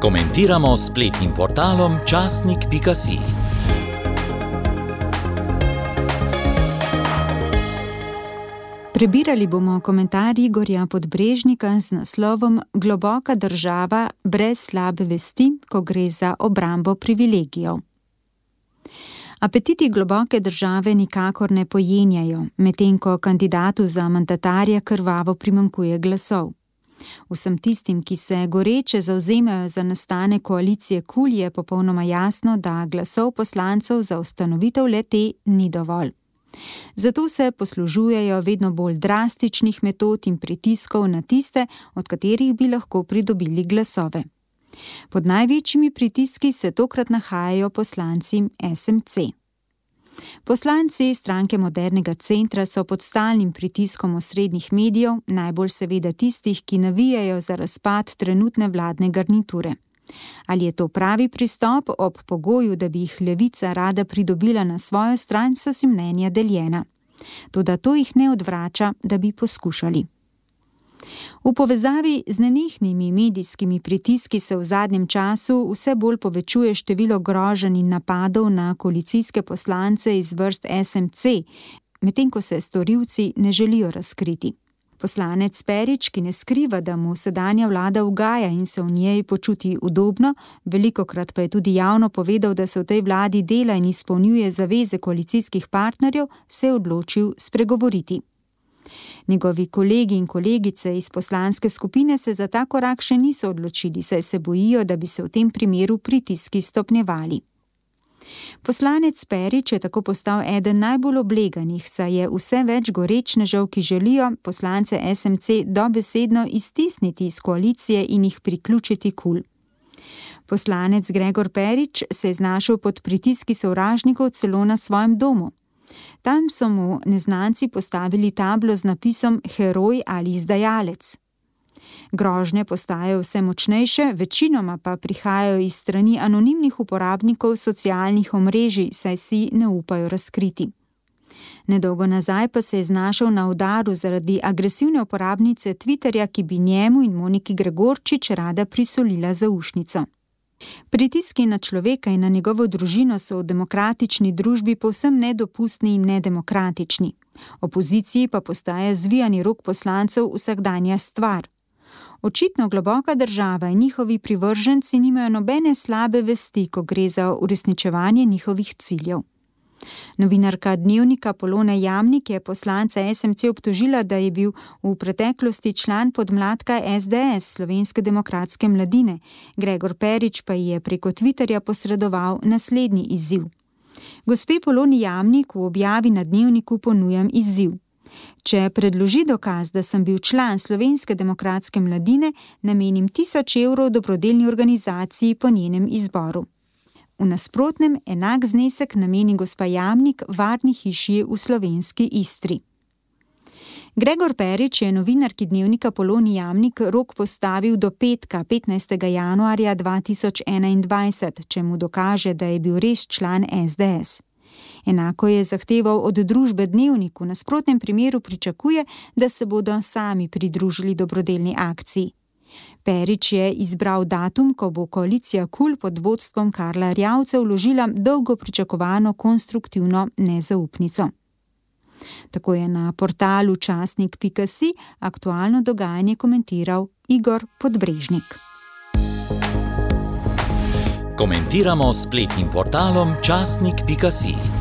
Komentiramo s spletnim portalom časnik.si. Prebirali bomo komentar Igorja Podbrežnika z naslovom Globoka država brez slabe vesti, ko gre za obrambo privilegijev. Apetiti globoke države nikakor ne pojenjajo, medtem ko kandidatu za mandatarja krvavo primanjkuje glasov. Vsem tistim, ki se goreče zavzemajo za nastanek koalicije KUL, je popolnoma jasno, da glasov poslancev za ustanovitev le-te ni dovolj. Zato se poslužujejo vedno bolj drastičnih metod in pritiskov na tiste, od katerih bi lahko pridobili glasove. Pod največjimi pritiski se tokrat nahajajo poslanci SMC. Poslanci Stranke modernega centra so pod stalnim pritiskom osrednjih medijev, najbolj seveda tistih, ki navijajo za razpad trenutne vladne garniture. Ali je to pravi pristop ob pogoju, da bi jih Levica rada pridobila na svojo stran, so si mnenja deljena. Toda to jih ne odvrača, da bi poskušali. V povezavi z nenehnimi medijskimi pritiski se v zadnjem času vse bolj povečuje število groženj in napadov na koalicijske poslance iz vrst SMC, medtem ko se storilci ne želijo razkriti. Poslanec Perič, ki ne skriva, da mu sedanja vlada ugaja in se v njej počuti udobno, velikokrat pa je tudi javno povedal, da se v tej vladi dela in izpolnjuje zaveze koalicijskih partnerjev, se je odločil spregovoriti. Njegovi kolegi in kolegice iz poslanske skupine se za ta korak še niso odločili, saj se bojijo, da bi se v tem primeru pritiski stopnjevali. Poslanec Perič je tako postal eden najbolj obleganih, saj je vse več gorečnežev, ki želijo poslance SMC dobesedno iztisniti iz koalicije in jih priključiti KUL. Poslanec Gregor Perič se je znašel pod pritiski sovražnikov celo na svojem domu. Tam so mu neznanci postavili tablo z napisom heroj ali izdajalec. Grožnje postajajo vse močnejše, večinoma pa prihajajo iz strani anonimnih uporabnikov socialnih omrežij, saj si ne upajo razkriti. Nedolgo nazaj pa se je znašel na udaru zaradi agresivne uporabnice Twitterja, ki bi njemu in Moniki Gregorčič rada prisolila zaušnico. Pritiski na človeka in na njegovo družino so v demokratični družbi povsem nedopustni in nedemokratični. Opoziciji pa postaja zvijani rok poslancev vsakdanja stvar. Očitno globoka država in njihovi privrženci nimajo nobene slabe vesti, ko gre za uresničevanje njihovih ciljev. Novinarka Dnevnika Polona Jamnik je poslanca SMC obtožila, da je bil v preteklosti član podmladka SDS, Slovenske demokratske mladine. Gregor Perič pa je preko Twitterja posredoval naslednji izziv. Gospe Poloni Jamnik v objavi na Dnevniku ponujam izziv. Če predloži dokaz, da sem bil član Slovenske demokratske mladine, namenim 1000 evrov dobrodelni organizaciji po njenem izboru. V nasprotnem enak znesek nameni gospa Jamnik varni hiši v slovenski Istri. Gregor Perič je novinarki Dnevnika Poloni Jamnik rok postavil do petka, 15. januarja 2021, če mu dokaže, da je bil res član SDS. Enako je zahteval od družbe Dnevnik, v nasprotnem primeru pričakuje, da se bodo sami pridružili dobrodelni akciji. Perič je izbral datum, ko bo koalicija KUL pod vodstvom Karla Erjavca vložila dolgo pričakovano konstruktivno nezaupnico. Tako je na portalu časnik.si aktualno dogajanje komentiral Igor Podbrežnik. Komentiramo s spletnim portalom časnik.si.